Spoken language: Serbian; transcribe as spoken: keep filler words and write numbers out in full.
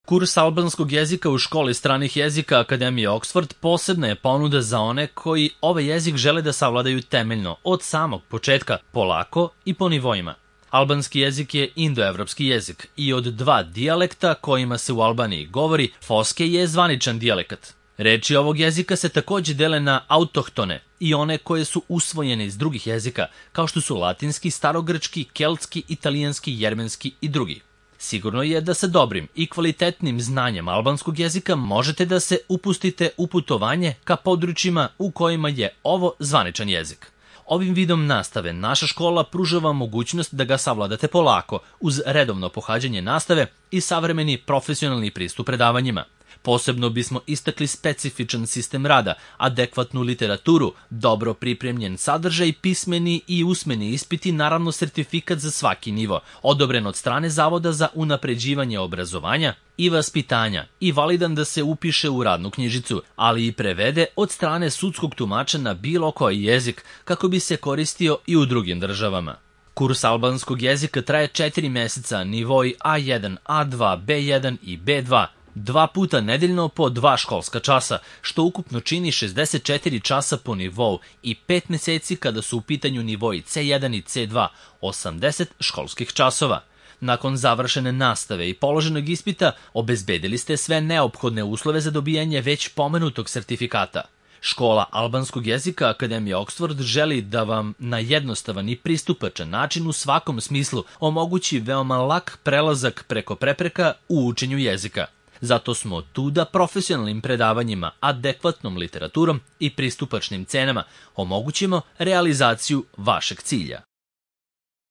Kurs albanskog jezika u školi stranih jezika Akademije Oxford posebna je ponuda za one koji ovaj jezik žele da savladaju temeljno, od samog početka, polako i po nivoima. Albanski jezik je indoevropski jezik i od dva dijalekta kojima se u Albaniji govori, foske je zvaničan dijalekat. Reči ovog jezika se takođe dele na autohtone i one koje su usvojene iz drugih jezika, kao što su latinski, starogrčki, keltski, italijanski, jermenski i drugi. Sigurno je da sa dobrim i kvalitetnim znanjem albanskog jezika možete da se upustite u putovanje ka područjima u kojima je ovo zvaničan jezik. Ovim vidom nastave naša škola pruža vam mogućnost da ga savladate polako, uz redovno pohađanje nastave i savremeni profesionalni pristup predavanjima. Posebno bismo istakli specifičan sistem rada, adekvatnu literaturu, dobro pripremljen sadržaj, pismeni i usmeni ispiti, naravno sertifikat za svaki nivo, odobren od strane Zavoda za unapređivanje obrazovanja i vaspitanja i validan da se upiše u radnu knjižicu, ali i prevede od strane sudskog tumača na bilo koji jezik kako bi se koristio i u drugim državama. Kurs albanskog jezika traje četiri meseca, nivoi A jedan, A dva, B jedan i B dva, dva puta nedeljno po dva školska časa, što ukupno čini šezdeset četiri časa po nivou i pet meseci kada su u pitanju nivoi C jedan i C dva, osamdeset školskih časova. Nakon završene nastave i položenog ispita, obezbedili ste sve neophodne uslove za dobijanje već pomenutog sertifikata. Škola albanskog jezika Akademije Oxford želi da vam na jednostavan i pristupačan način u svakom smislu omogući veoma lak prelazak preko prepreka u učenju jezika. Zato smo tu da profesionalnim predavanjima, adekvatnom literaturom i pristupačnim cenama omogućimo realizaciju vašeg cilja.